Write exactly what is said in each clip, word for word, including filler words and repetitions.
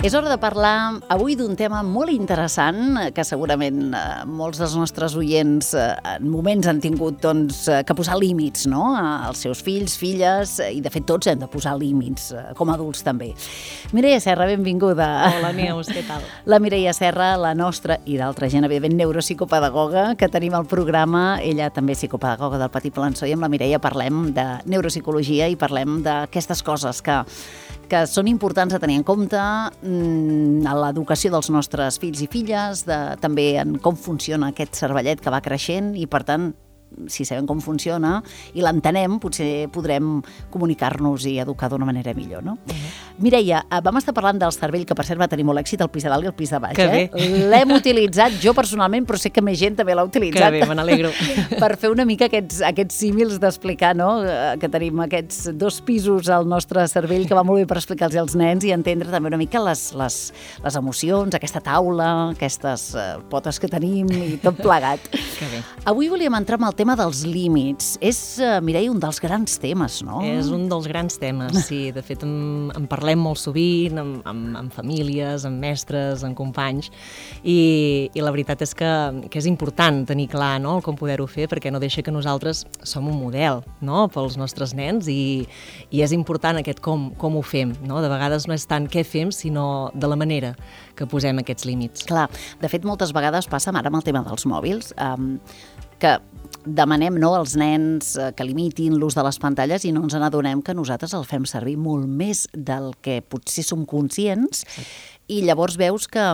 És hora de parlar avui d'un tema molt interessant que segurament eh, molts dels nostres oients eh, en moments han tingut doncs, eh, que posar límits, no?, als seus fills, filles, eh, i de fet tots hem de posar límits, eh, com a adults també. Mireia Serra, benvinguda. Hola, Neus, què tal? La Mireia Serra, la nostra i d'altra gent, evidentment, neuropsicopedagoga, que tenim al programa. Ella també és psicopedagoga del Patí Palançó, i amb la Mireia parlem de neuropsicologia i parlem d'aquestes coses que que són importants a tenir en compte mmm, a l'educació dels nostres fills i filles, de, també en com funciona aquest cervellet que va creixent i, per tant, si sabem com funciona i l'entenem, potser podrem comunicar-nos i educar d'una manera millor, no? Uh-huh. Mireia, vam estar parlant del cervell, que per cert va tenir molt èxit al pis de dalt i al pis de baix. Que eh? bé. L'hem utilitzat jo personalment, però sé que més gent també l'ha utilitzat. Que bé, me n'alegro. Per fer una mica aquests, aquests símils d'explicar, no?, que tenim aquests dos pisos al nostre cervell, que va molt bé per explicar-los als nens i entendre també una mica les, les, les emocions, aquesta taula, aquestes uh, potes que tenim i tot plegat. Que bé. Avui volíem entrar amb el tema dels límits. És, uh, Mireia, un dels grans temes, no? És un dels grans temes, sí. De fet, en, en parlem molt sovint, amb, amb, amb famílies, amb mestres, amb companys, i, i la veritat és que, que és important tenir clar, no?, com poder-ho fer, perquè no deixa que nosaltres som un model, no?, pels nostres nens, i, i és important aquest com, com ho fem, no? De vegades no és tant què fem, sinó de la manera que posem aquests límits. Clar, de fet, moltes vegades passa, ara amb el tema dels mòbils, um, que demanem, no, als nens eh, que limitin l'ús de les pantalles i no ens n'adonem que nosaltres el fem servir molt més del que potser som conscients. Sí. I llavors veus que,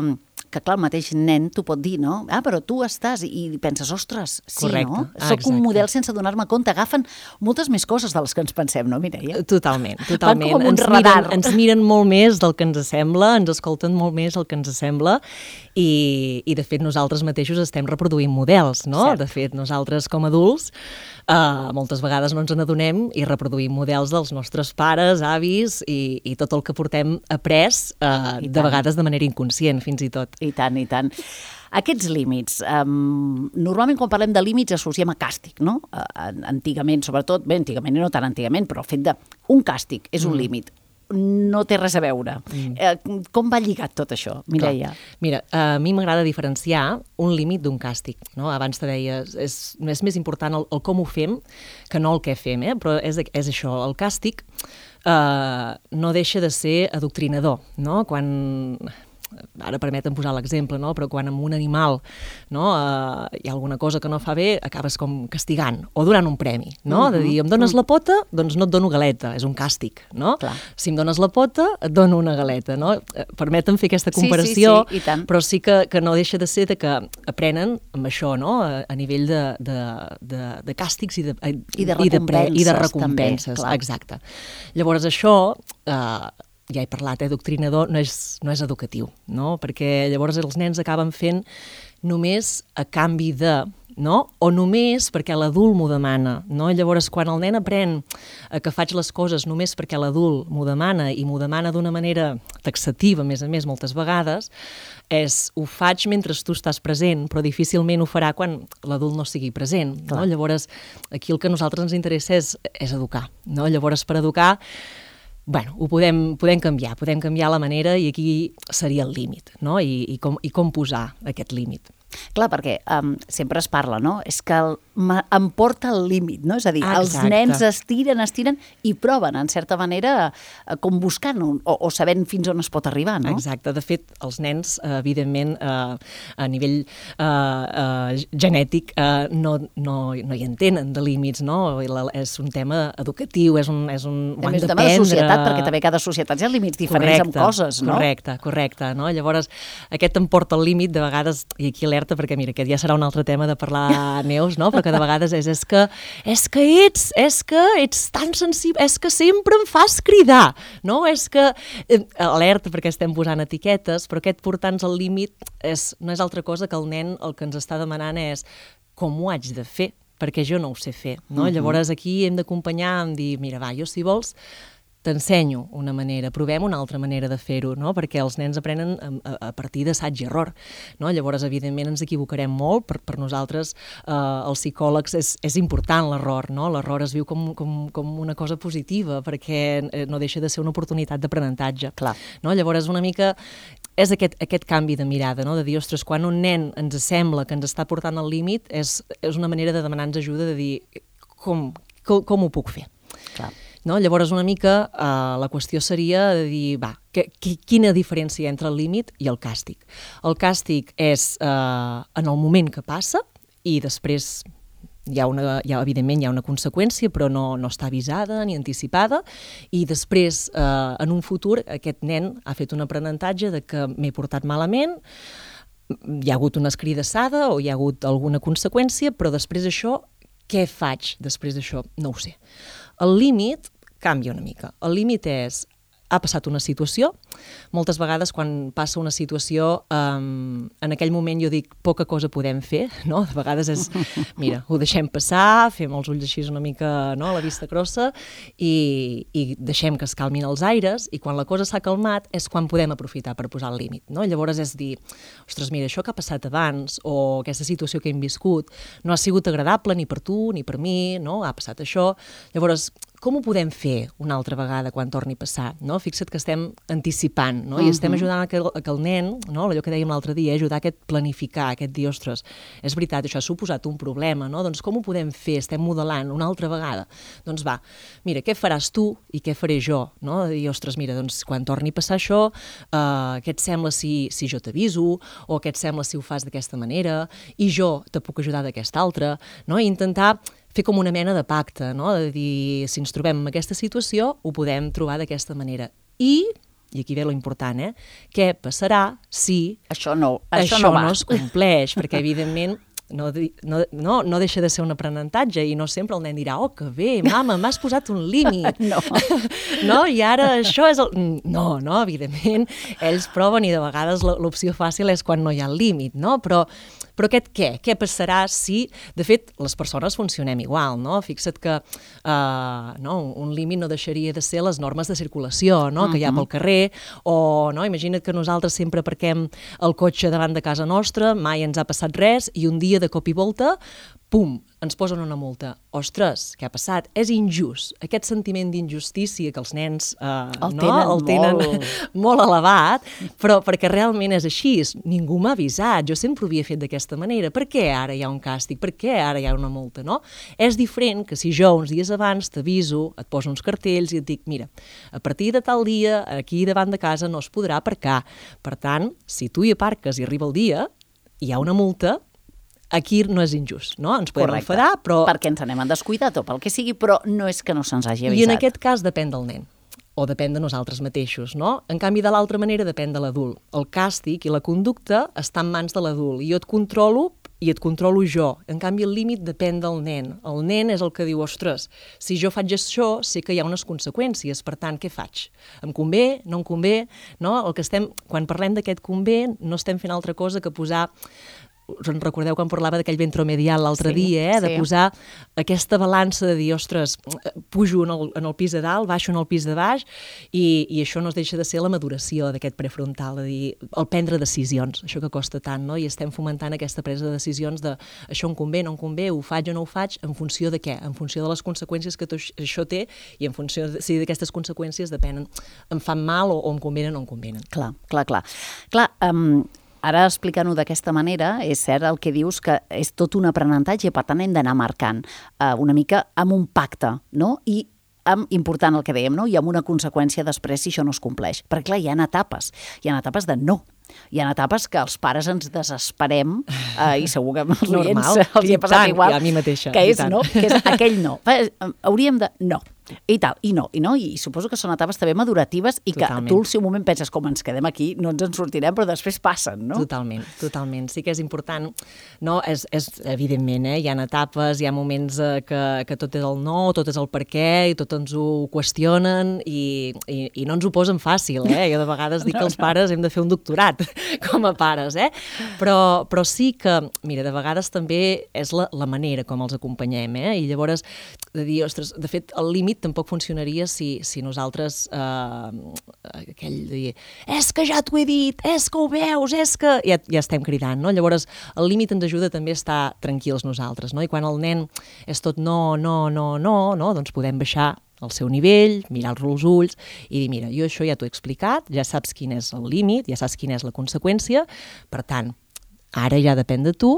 que clar, el mateix nen t'ho pot dir, no? Ah, però tu estàs, i penses, ostres, sí, correcte. No? Ah, soc un model sense adonar-me compte. Agafen moltes més coses de les que ens pensem, no, Mireia? Totalment, totalment. Van com un ens, radar. miren, ens miren molt més del que ens sembla, ens escolten molt més del que ens sembla, i, i de fet nosaltres mateixos estem reproduint models, no? Cert. De fet, nosaltres com a adults Uh, moltes vegades no ens n'adonem i reproduïm models dels nostres pares, avis i, i tot el que portem après, uh, de vegades de manera inconscient, fins i tot. I tant, i tant. Aquests límits, um, normalment quan parlem de límits associem a càstig, no? Uh, antigament, sobretot, bé, antigament i no tan antigament, però el fet de un càstig és un mm. límit. No té res a veure. Mm. Eh, com va lligat tot això, Mireia? Clar. Mira, a mi m'agrada diferenciar un límit d'un càstig, no? Abans te deia, és, és més important el, el com ho fem que no el què fem, eh? Però és, és això, el càstig eh, no deixa de ser adoctrinador, no? Quan... Ara permeten posar l'exemple, no? Però quan amb un animal, no, uh, hi ha alguna cosa que no fa bé, acabes com castigant o donant un premi, no? Uh-huh. De dir, em dones la pota, doncs no et dono galeta, és un càstig, no? Clar. Si em dones la pota, et dono una galeta, no? Permeten fer aquesta comparació, sí, sí, sí, i tant. Però sí que, que no deixa de ser de que aprenen amb això, no? A, a nivell de, de, de, de càstigs i de, I de recompenses, i de, pre, i de recompenses, també, exacte. Llavors això... Uh, ja he parlat, eh, doctrinador, no és, no és educatiu, no? Perquè llavors els nens acaben fent només a canvi de, no? O només perquè l'adult m'ho demana, no? Llavors, quan el nen aprèn que faig les coses només perquè l'adult m'ho demana i m'ho demana d'una manera taxativa, a més a més, moltes vegades, és ho faig mentre tu estàs present, però difícilment ho farà quan l'adult no sigui present, no? Llavors, aquí el que a nosaltres ens interessa és, és educar, no? Llavors, per educar, bueno, ho podem, podem canviar, podem canviar la manera i aquí seria el límit, no? I, i, com, i com posar aquest límit. Clar, perquè um, sempre es parla, no? És que el, em porta al límit, no? És a dir, Exacte. Els nens estiren, estiren i proven, en certa manera, com buscant o, o sabent fins on es pot arribar, no? Exacte. De fet, els nens, evidentment, eh, a nivell eh, eh, genètic, eh, no, no, no hi entenen de límits, no? És un tema educatiu, és un, és un... També és un tema de societat, perquè també cada societat hi ha límits diferents correcte, amb coses, no? Correcte, correcte, no? Llavors, aquest em porta al límit, de vegades, i aquí alerta, perquè mira, aquest ja serà un altre tema de parlar, Neus, no? Però que de vegades és, és que és que ets, és que ets tan sensible, és que sempre em fas cridar, no? És que, eh, alerta, perquè estem posant etiquetes, però aquest portar-nos al límit és, no és altra cosa que el nen el que ens està demanant és com ho haig de fer, perquè jo no ho sé fer, no? Uh-huh. Llavors aquí hem d'acompanyar, en dir, mira, va, jo si vols t'ensenyo una manera, provem una altra manera de fer-ho, no? Perquè els nens aprenen a, a, a partir d'assaig i error, no? Llavors, evidentment, ens equivocarem molt, per, per nosaltres, eh, els psicòlegs, és, és important l'error, no? L'error es viu com, com, com una cosa positiva, perquè no deixa de ser una oportunitat d'aprenentatge. Clar. No? Llavors, una mica és aquest, aquest canvi de mirada, no? De dir, ostres, quan un nen ens sembla que ens està portant al límit, és, és una manera de demanar-nos ajuda, de dir, com, com, com ho puc fer? Clar. No? Llavors, una mica, eh, la qüestió seria de dir, va, que, que, quina diferència hi ha entre el límit i el càstig? El càstig és eh, en el moment que passa i després hi ha, una, hi ha, evidentment, hi ha una conseqüència, però no, no està avisada ni anticipada, i després, eh, en un futur, aquest nen ha fet un aprenentatge de que m'he portat malament, hi ha hagut una escridassada o hi ha hagut alguna conseqüència, però després d'això, què faig després d'això? No ho sé. El límit canvia una mica. El límit és, ha passat una situació, moltes vegades quan passa una situació, um, en aquell moment jo dic, poca cosa podem fer, no? De vegades és, mira, ho deixem passar, fem els ulls així una mica, no?, a la vista grossa, i, i deixem que es calmin els aires, i quan la cosa s'ha calmat és quan podem aprofitar per posar el límit, no? Llavors és dir, ostres, mira, això que ha passat abans, o aquesta situació que hem viscut, no ha sigut agradable ni per tu ni per mi, no? Ha passat això, llavors, com ho podem fer una altra vegada quan torni a passar? No? Fixa't que estem anticipant, no? I estem ajudant a que, a que el nen, no? Allò que dèiem l'altre dia, ajudar a aquest planificar, aquest dir, ostres, és veritat, això ha suposat un problema, no? Doncs com ho podem fer? Estem modelant una altra vegada. Doncs va, mira, què faràs tu i què faré jo? No? De dir, ostres, mira, doncs quan torni a passar això, eh, què et sembla si, si jo t'aviso? O què et sembla si ho fas d'aquesta manera? I jo te puc ajudar d'aquesta altra? No? I intentar fer com una mena de pacte, no? De dir, si ens trobem en aquesta situació, ho podem trobar d'aquesta manera. I, i aquí ve lo important, eh? Què passarà si això no, això això no, va. no es compleix? Perquè, evidentment, no, no, no, no deixa de ser un aprenentatge i no sempre el nen dirà, oh, que bé, mama, m'has posat un límit. No. No? I ara això és el... No, no, evidentment, ells proven i de vegades l'opció fàcil és quan no hi ha el límit, no? Però, però aquest què? Què passarà si... De fet, les persones funcionem igual, no? Fixa't que uh, no, un límit no deixaria de ser les normes de circulació, no? Que hi ha pel carrer, o no? Imagina't que nosaltres sempre aparquem el cotxe davant de casa nostra, mai ens ha passat res, i un dia de cop i volta, pum, ens posen una multa. Ostres, què ha passat? És injust. Aquest sentiment d'injustícia que els nens eh, el no? tenen, el tenen molt. molt elevat, però perquè realment és així. Ningú m'ha avisat, jo sempre ho havia fet d'aquesta manera. Per què ara hi ha un càstig? Per què ara hi ha una multa? No? És diferent que si jo uns dies abans t'aviso, et poso uns cartells i et dic, mira, a partir de tal dia, aquí davant de casa no es podrà aparcar. Per tant, si tu hi aparques i arriba el dia, hi ha una multa, aquí no és injust, no? Ens podem Correcte. enfadar, però... Perquè ens anem en descuidat o pel que sigui, però no és que no se'ns hagi avisat. I en aquest cas depèn del nen, o depèn de nosaltres mateixos, no? En canvi, de l'altra manera depèn de l'adult. El càstig i la conducta està en mans de l'adult, i jo et controlo i et controlo jo. En canvi, el límit depèn del nen. El nen és el que diu, ostres, si jo faig això, sé que hi ha unes conseqüències, per tant, què faig? Em convé? No em convé? No? El que estem, quan parlem d'aquest convé, no estem fent altra cosa que posar... Us en recordeu quan parlava d'aquell ventromedial l'altre sí, dia, eh? De sí. posar aquesta balança de dir, ostres, pujo en el, en el pis de dalt, baixo en el pis de baix, i, i això no es deixa de ser la maduració d'aquest prefrontal, de dir, el prendre decisions, això que costa tant, no? I estem fomentant aquesta presa de decisions de això em convé, no em convé, ho faig o no ho faig, en funció de què? En funció de les conseqüències que això té, i en funció de si d'aquestes conseqüències depenen, em fan mal o, o em convenen o no em convenen. Clar, clar, clar. Clar, um, ara explicant-ho d'aquesta manera, és cert el que dius que és tot un aprenentatge, per tant hem d'anar marcant uh, una mica amb un pacte, no? I amb, important el que dèiem, no? I amb una conseqüència després si això no es compleix. Perquè clar, hi ha etapes, hi ha etapes de no. Hi ha etapes que els pares ens desesperem eh, i segur que els oients els hi ha passat igual. I a mi mateixa. Que és, no? Que és aquell no. Hauríem de... No. I tal, i no, i no, i suposo que són etapes també maduratives i Totalment. Que tu al seu moment penses com ens quedem aquí, no ens en sortirem, però després passen, no? Totalment, totalment. Sí que és important, no? És, és evidentment, eh? Hi ha etapes, hi ha moments eh, que, que tot és el no, tot és el per què, i tot ens ho qüestionen i, i, i no ens ho posen fàcil, eh? Jo de vegades dic no, que els pares hem de fer un doctorat com a pares, eh? Però, però sí que, mira, de vegades també és la, la manera com els acompanyem, eh? I llavors de dir, ostres, de fet, el límit límit tampoc funcionaria si, si nosaltres, eh, aquell de dir, és que ja t'ho he dit, és que ho veus, és que... Ja, ja estem cridant, no? Llavors, el límit ens ajuda també a estar tranquils nosaltres, no? I quan el nen és tot no, no, no, no, no, doncs podem baixar al seu nivell, mirar-lo als ulls i dir, mira, jo això ja t'ho he explicat, ja saps quin és el límit, ja saps quina és la conseqüència, per tant, ara ja depèn de tu,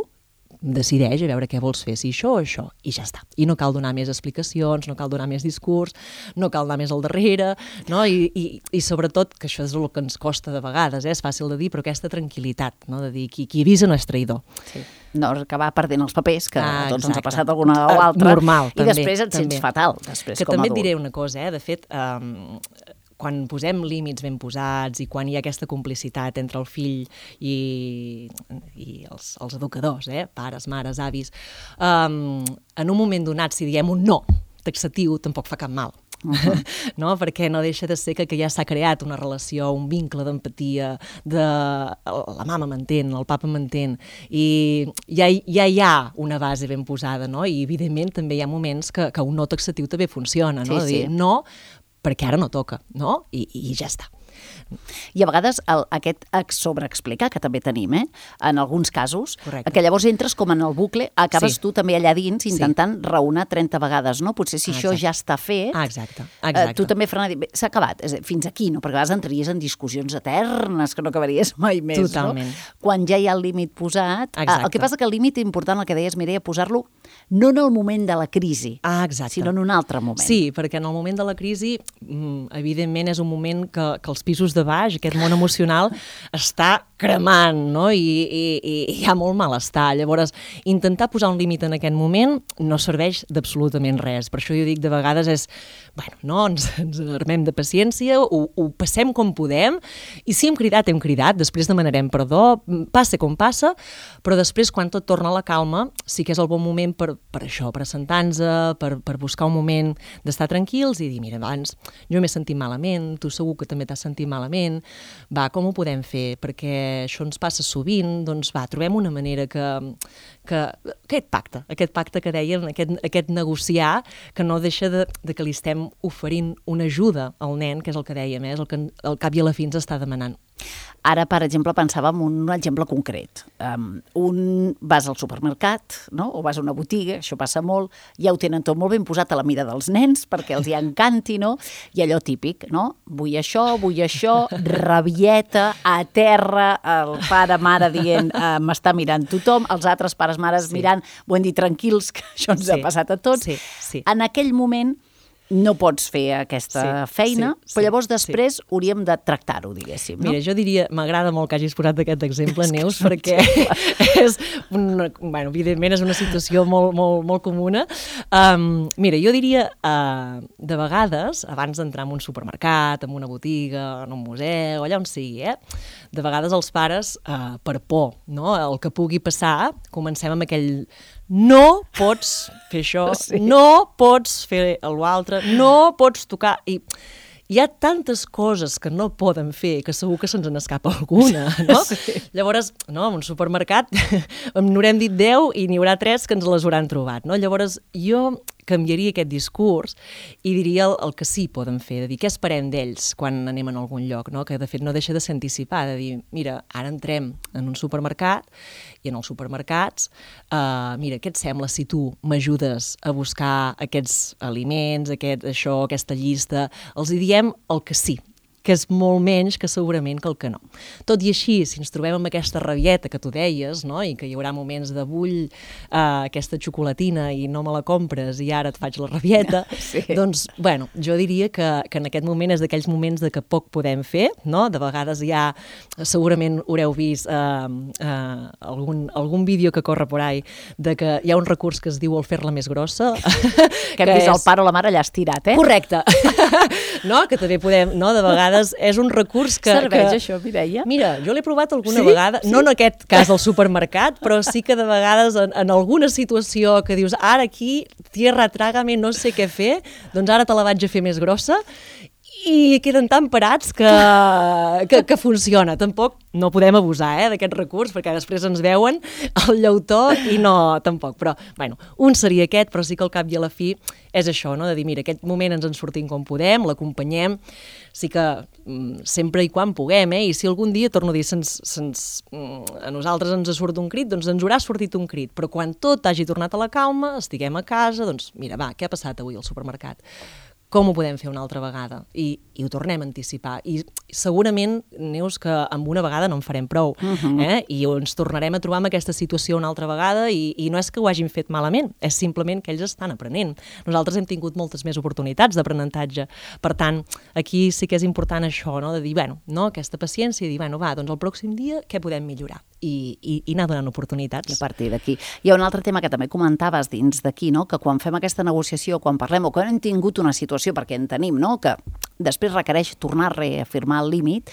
decideix a veure què vols fer, si això o això, i ja està. I no cal donar més explicacions, no cal donar més discurs, no cal anar més al darrere, no? I, i, i sobretot, que això és el que ens costa de vegades, eh? És fàcil de dir, però aquesta tranquil·litat, no? De dir, qui, qui avisa no és traïdor. Sí. No acabar perdent els papers, que ah, a tots exacte. ens ha passat alguna o altra, normal, i també, després et també. sents fatal, després que com a també adult. Et diré una cosa, eh? De fet, um, quan posem límits ben posats i quan hi ha aquesta complicitat entre el fill i, i els, els educadors, eh? Pares, mares, avis, um, en un moment donat, si diem un no taxatiu, tampoc fa cap mal. Uh-huh. No? Perquè no deixa de ser que, que ja s'ha creat una relació, un vincle d'empatia, de la mama m'entén, el papa m'entén, i ja, ja hi ha una base ben posada, no? I evidentment també hi ha moments que, que un no taxatiu també funciona, no? Sí, de dir, sí. no, perquè ara no toca, no? I, i ja està. I a vegades el, aquest sobreexplicar que també tenim, eh? En alguns casos, Correcte. Que llavors entres com en el bucle, acabes Sí. tu també allà dins intentant sí. raonar trenta vegades, no? Potser si Ah, això exacte. ja està fet, Ah, exacte, exacte. Eh, tu també frenar, dir, bé, s'ha acabat, és a dir, fins aquí, no? Perquè a vegades entraries en discussions eternes que no acabaries mai més, Totalment. no? Quan ja hi ha el límit posat, eh, Exacte. el que passa que el límit important, el que deies, Mireia, posar-lo no en el moment de la crisi, Ah, exacte. sinó en un altre moment. Sí, perquè en el moment de la crisi, evidentment, és un moment que, que els pisos de baix, aquest món emocional, està cremant, no? I, i, i hi ha molt malestar. Llavors, intentar posar un límit en aquest moment no serveix d'absolutament res. Per això jo dic, de vegades és, bueno, no, ens, ens armem de paciència, ho, ho passem com podem, i si hem cridat, hem cridat, després demanarem perdó, passa com passa, però després, quan tot torna a la calma, sí que és el bon moment per, per això, per assentar-nos, per, per buscar un moment d'estar tranquils i dir, mira, abans jo m'he sentit malament, tu segur que també t'has sentit malament, va, com ho podem fer? Perquè això ens passa sovint, doncs va, trobem una manera que, que aquest pacte, aquest pacte que dèiem, aquest, aquest negociar, que no deixa de, de que li estem oferint una ajuda al nen, que és el que dèiem, eh? És el que al cap i a la fi ens està demanant. Ara, per exemple, pensava en un exemple concret. Um, un vas al supermercat, no? O vas a una botiga, això passa molt, ja ho tenen tot molt ben posat a la mida dels nens perquè els hi encanti, no? I allò típic, no? Vull això, vull això, rabieta, a terra, el pare, mare dient uh, m'està mirant tothom, els altres pares, mares Sí. mirant, ho hem dit tranquils, que això ens Sí. ha passat a tots. Sí, sí. En aquell moment no pots fer aquesta Sí, feina, sí, però llavors sí, després hauríem de tractar-ho, diguéssim, no? Mira, jo diria, m'agrada molt que hagis posat aquest exemple, És que Neus, és un perquè és, una, bueno, evidentment és una situació molt, molt, molt comuna. Um, mira, jo diria, uh, de vegades, abans d'entrar en un supermercat, en una botiga, en un museu, allà on sigui, eh? De vegades els pares, uh, per por, no? El que pugui passar, comencem amb aquell no pots fer això, Sí. no pots fer l'altre, no pots tocar... I hi ha tantes coses que no poden fer que segur que se'ns n'escapa alguna, no? Sí. Llavors, no, en un supermercat n'haurem dit deu i n'hi haurà tres que ens les hauran trobat, no? Llavors, jo canviaria aquest discurs i diria el, el que sí poden fer, de dir què esperem d'ells quan anem a algun lloc, no? Que de fet no deixa de ser anticipar, de dir, mira, ara entrem en un supermercat i en els supermercats, uh, mira, què et sembla si tu m'ajudes a buscar aquests aliments, aquest, això, aquesta llista, els hi diem el que sí, que és molt menys que segurament que el que no. Tot i així, si ens trobem amb aquesta rabieta que tu deies, no? I que hi haurà moments de vull uh, aquesta xocolatina i no me la compres i ara et faig la rabieta, Sí. doncs, bueno, jo diria que, que en aquest moment és d'aquells moments de que poc podem fer, no? De vegades ja segurament haureu vist uh, uh, algun, algun vídeo que corre por ahí de que hi ha un recurs que es diu el fer-la més grossa. Que hem vist el pare o la mare allà estirat, eh? Correcte. No? Que també podem, no? De vegades és un recurs que... Serveix que... això, Mireia? Mira, jo l'he provat alguna Sí? vegada, Sí? no en aquest cas del supermercat, però sí que de vegades en, en alguna situació que dius, ara aquí, tierra, trágame, no sé què fer, doncs ara te la vaig a fer més grossa i queden tan parats que, que, que funciona. Tampoc no podem abusar eh, d'aquest recurs, perquè després ens veuen el llautó i no, tampoc. Però, bueno, un seria aquest, però sí que al cap i a la fi és això, no? De dir, mira, aquest moment ens en sortim com podem, l'acompanyem, sí que mm, sempre i quan puguem, eh? I si algun dia, torno a dir, se'ns, se'ns, mm, a nosaltres ens surt un crit, doncs ens haurà sortit un crit, però quan tot hagi tornat a la calma, estiguem a casa, doncs mira, va, què ha passat avui al supermercat? Com ho podem fer una altra vegada? I, i ho tornem a anticipar. I segurament, Neus, que amb una vegada no en farem prou. Uh-huh. eh? I ens tornarem a trobar en aquesta situació una altra vegada i, i no és que ho hagin fet malament, és simplement que ells estan aprenent. Nosaltres hem tingut moltes més oportunitats d'aprenentatge. Per tant, aquí sí que és important això, no? De dir, bueno, no, aquesta paciència i dir, bueno, va, doncs el pròxim dia què podem millorar? I, i, i anar donant oportunitats. I a partir d'aquí. Hi ha un altre tema que també comentaves dins d'aquí, no? Que quan fem aquesta negociació, quan parlem o quan hem tingut una situació, perquè en tenim, no? Que després requereix tornar a reafirmar el límit,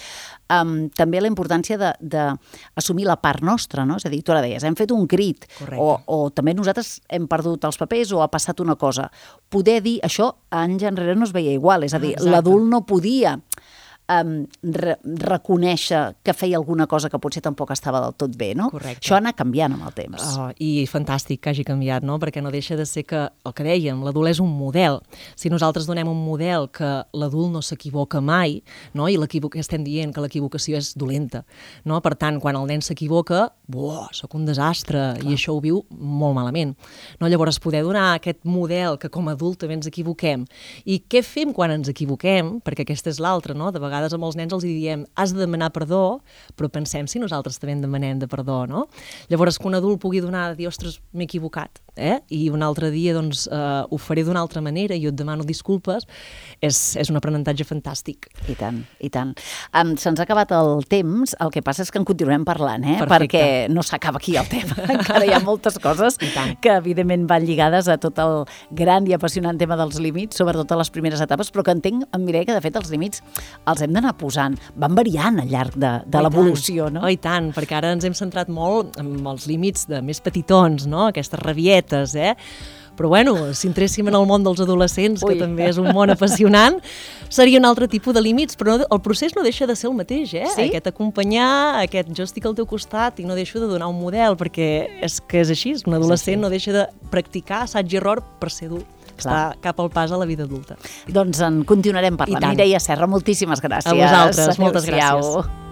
um, també la importància d'assumir la part nostra, no? És a dir, tu ara deies, hem fet un crit, o, o també nosaltres hem perdut els papers o ha passat una cosa. Poder dir, això anys enrere no es veia igual, és a dir, ah, l'adult no podia Um, re reconèixer que feia alguna cosa que potser tampoc estava del tot bé, no? Correcte. Això ha anat canviant amb el temps. Oh, I fantàstic que hagi canviat, no? Perquè no deixa de ser que, el que dèiem, l'adult és un model. Si nosaltres donem un model que l'adult no s'equivoca mai, no? I estem dient que l'equivocació és dolenta, no? Per tant, quan el nen s'equivoca, buah, sóc un desastre, clar, i això ho viu molt malament. No? Llavors, poder donar aquest model que com a adult també ens equivoquem. I què fem quan ens equivoquem? Perquè aquesta és l'altra, no? De vegades vegades amb els nens els diem has de demanar perdó, però pensem si nosaltres també en demanem de perdó, no? Llavors que un adult pugui donar, dir, ostres, m'he equivocat, eh? I un altre dia doncs eh, ho faré d'una altra manera i jo et demano disculpes, és, és un aprenentatge fantàstic. I tant, i tant. Um, Se'ns ha acabat el temps, el que passa és que en continuem parlant, eh? Perfecte. Perquè no s'acaba aquí el tema. Encara hi ha moltes coses que evidentment van lligades a tot el gran i apassionant tema dels límits, sobretot a les primeres etapes, però que entenc, em Mireia, que de fet els límits els hem d'anar posant, van variant al llarg de, de l'evolució, no? Oh, i tant, perquè ara ens hem centrat molt en els límits de més petitons, no? Aquestes rabietes, eh? Però bueno, si entréssim en el món dels adolescents, Ui. que també és un món apassionant, seria un altre tipus de límits, però no, el procés no deixa de ser el mateix, eh? Sí? Aquest acompanyar, aquest jo estic al teu costat i no deixo de donar un model, perquè és que és així, un adolescent sí, sí. no deixa de practicar assaig i error per ser adult. Està cap al pas a la vida adulta. Doncs en continuarem parlant. Mireia Serra, moltíssimes gràcies. A vosaltres, moltes gràcies.